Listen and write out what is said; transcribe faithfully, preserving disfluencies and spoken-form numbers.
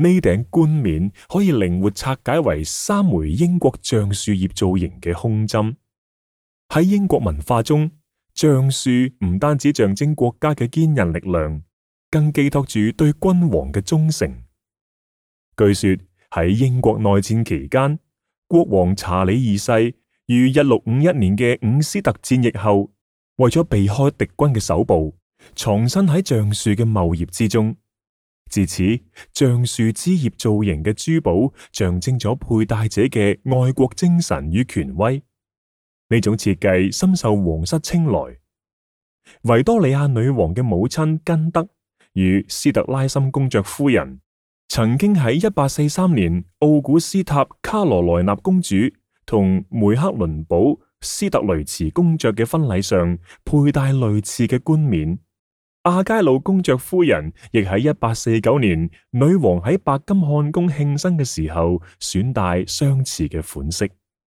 呢頂冠冕可以靈活拆解為三枚英國橡樹葉造型嘅胸針。喺英國文化中，橡樹唔單止象徵國家嘅堅韌力量，更寄託住對君王嘅忠誠。據說喺英國內戰期間，國王查理二世於一六五一年嘅伍斯特戰役後，為咗避開敵軍嘅手部，藏身喺橡樹嘅茂葉之中。自此，橡樹枝葉造型嘅珠寶象徵咗佩戴者嘅愛國精神與權威。呢種設計深受皇室青睞。維多利亞女王嘅母親根德與斯特拉森公爵夫人曾經喺一八四三年奧古斯塔卡羅萊納公主同梅克倫堡斯特雷茨公爵嘅婚禮上佩戴類似嘅冠冕。阿佳魯公爵夫人亦喺一八四九年女王喺白金漢宮慶生嘅時候選戴相似嘅款式。